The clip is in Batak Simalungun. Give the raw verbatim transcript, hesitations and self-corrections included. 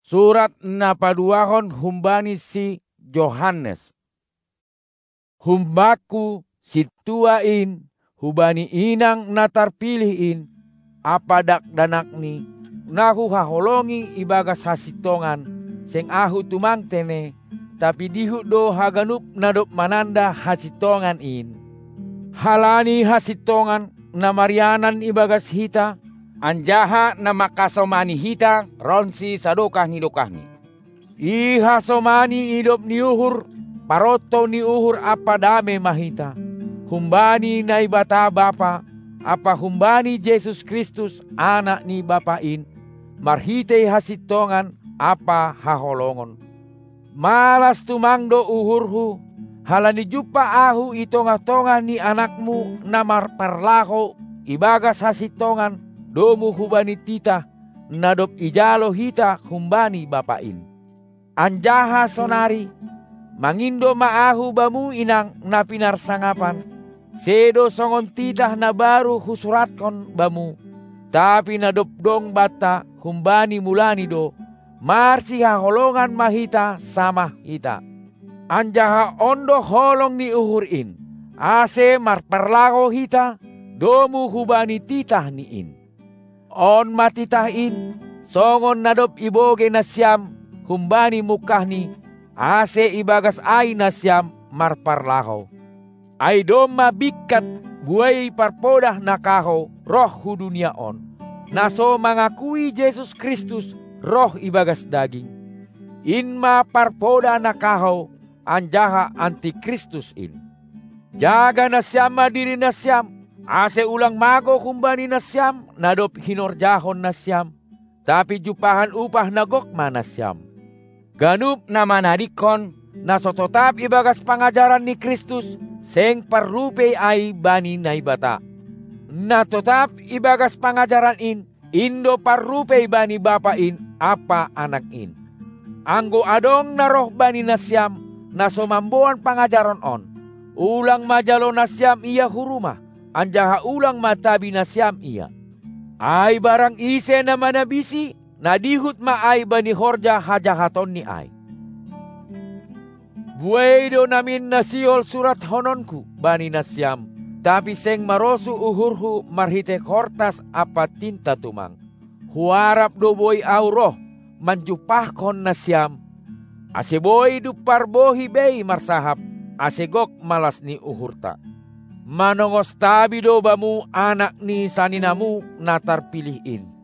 Surat na paduahon humbani si Johannes. Humbakku, sintua in, hubani inang na tarpilih in, ampa dakdanakni, na huhaholongi ibagas hasintongan, seng ahu tumang tene, tapi dihut do haganup na dob mananda hasintongan in. Halani hasintongan na marianan ibagas hita, anjaha na mangkasomani hita ronsi sadokah ni dokahni. Ihasomani idop ni uhur, parontou ni uhur ampa dame ma hita, humbani Naibata Bapa, ampa humbani Jesus Kristus, Anak ni Bapa in, marhitei hasintongan ampa haholongon. Malas tumang do uhurhu, halani jumpah ahu i tongah-tongah ni anakmu na marparlahou ibagas hasintongan domu hubani titah, na dob ijalo hita humbani Bapa in. Anjaha sonari, mangindo ma ahu bamu inang na pinarsangapan, sedo songon titah na baru husuratkon bamu, tapi na dob dong banta humbani mulani do, marsihaholongan ma hita samah hita. Anjaha on do holong ni uhur in, ase marparlahou hita, domu hubani titah ni in. On ma titah in, songon na dob ibogei nasiam humbani mungkahni, ase ibagas ai nasiam marparlahou. Ai domma bingkat buei parpodah na kahou roh hu dunia on, na so mangakui Jesus Kristus roh ibagas daging. In ma parpodah na kahou, anjaha antikristus in. Jaga nasiam ma diri nasiam, ase ulang magou humbani nasiam na dob hinorjahon nasiam, tapi jumpahan upah na gok ma nasiam. Ganup na manadingkon, na so totap ibagas pangajaran ni Kristus, seng parrupei ai bani Naibata. Na totap ibagas pangajaran in, in do parrupei bani Bapa in ampa Anak in. Anggo adong na roh bani nasiam, na so mamboan pangajaron on, ulang ma jalo nasiam ia hu rumah, anjaha ulang ma tabi nasiam ia. Ai barang ise na manabisi, na dihut ma ai bani horja hajahatonni ai. Buei do namin na sihol surathononku bani nasiam, tapi seng marosuh uhurhu marhitei hortas ampa tinta tumang. Huarap do boi ahu roh manjumpahkon nasiam, ase boi dumpar bohi bei marsahap, ase gok malas ni uhurta. Manongos tabi do bamu anak ni saninamu na tarpilih in.